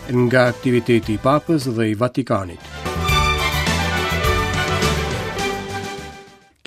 Nga aktiviteti i Papës dhe i Vatikanit.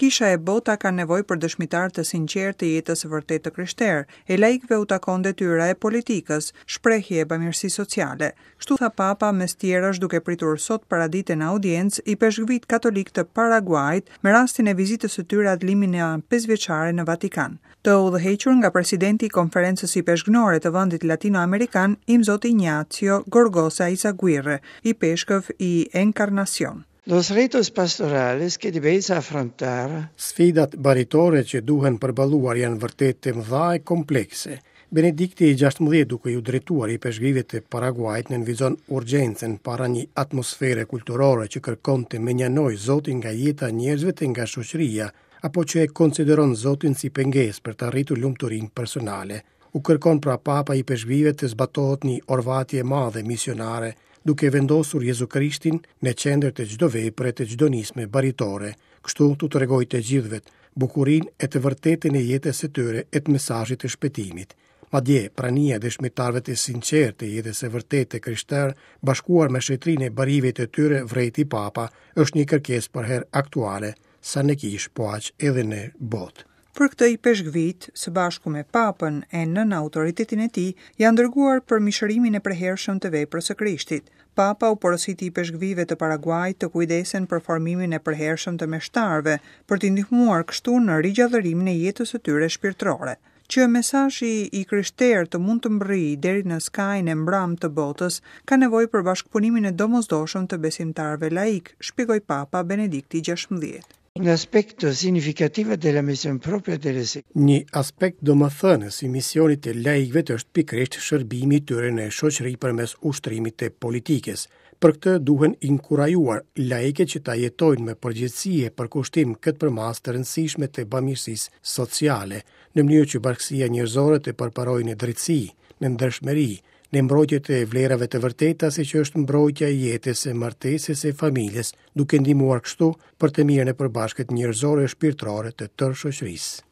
Kisha e bota kanë nevojë për dëshmitarë të sinqertë të jetës së vërtetë të krishterë, e laikëve u takon detyra e politikës, shprehje e bamirësisë sociale. Kështu tha Papa mes tjerash duke pritur sot paradite në audiencë ipeshkvijtë katolikë të Paraguajit me rastin e vizitës së tyre ad limina pesëvjeçare në Vatikan. Të udhëhequr nga presidenti i Konferencës Ipeshkvnore të vendit latino-amerikan, Imzot Ignacio Gorgoza Izaguirre, ipeshkëv i Encarnacion. Los retos pastorales que debéis afrontar. Sfidat baritore që duhen përballuar janë vërtet të mëdha e komplekse. Benedikti i 16 duke iu drejtuar ipeshkvijve të Paraguajit nënvizon urgjencën para një atmosfere kulturore që kërkon të mënjanojë Zotin nga jeta e njerëzve e nga shoqëria, apo që e konsideron Zotin si pengesë për të arritur lumturinë personale. U kërkon pra Papa ipeshkvijve të zbatohet një orvatje e madhe misionare, duke vendosur Jezu Krishtin në qendër të çdo vepre të çdo nisme baritore, kështu t'u tregojë të gjithëve bukurinë e të vërtetën e jetës së tyre e të mesazhit të shpëtimit. Madje, prania e dëshmitarëve të sinqertë të jetës së vërtetë të krishterë, bashkuar me shenjtërinë e barive të tyre, vërejti Papa, është një kërkesë përherë aktuale, sa në kishë po aq edhe në botë. Për këtë ipeshkvijtë, së bashku me Papën e nën autoritetin e tij, janë dërguar për mishërimin e përhershëm të veprës së Krishtit. Papa u porositi ipeshkvijve të Paraguajit të kujdesen për formimin e përhershëm të meshtarëve, për t'i ndihmuar kështu në rigjallërimin e jetës së tyre shpirtërore. Që mesazhi i krishterë të mund të mbërrijë deri në skajin e mbramë të botës, ka nevojë për bashkëpunimin e domosdoshëm të besimtarëve laikë, shpjegoi Papa Benedikti XVI. Un aspetto significativo della missione propria delle Një aspekt domethënës i misionit të laikëve është pikërisht shërbimi i tyre në shoqëri përmes ushtrimit të politikës. Për këtë duhen inkurajuar laikët që ta jetojnë me përgjegjësi e përkushtim këtë përmasë të rëndësishme të bamirësisë sociale, në mënyrë që bashkësia njerëzore të përparojë në drejtësi, në ndershmëri, në mbrojtje të vlerave të vërteta siç është mbrojtja e jetës, e martesës e familjes, duke ndihmuar kështu për të mirën e përbashkët njerëzore e shpirtërore të tërë shoqërisë.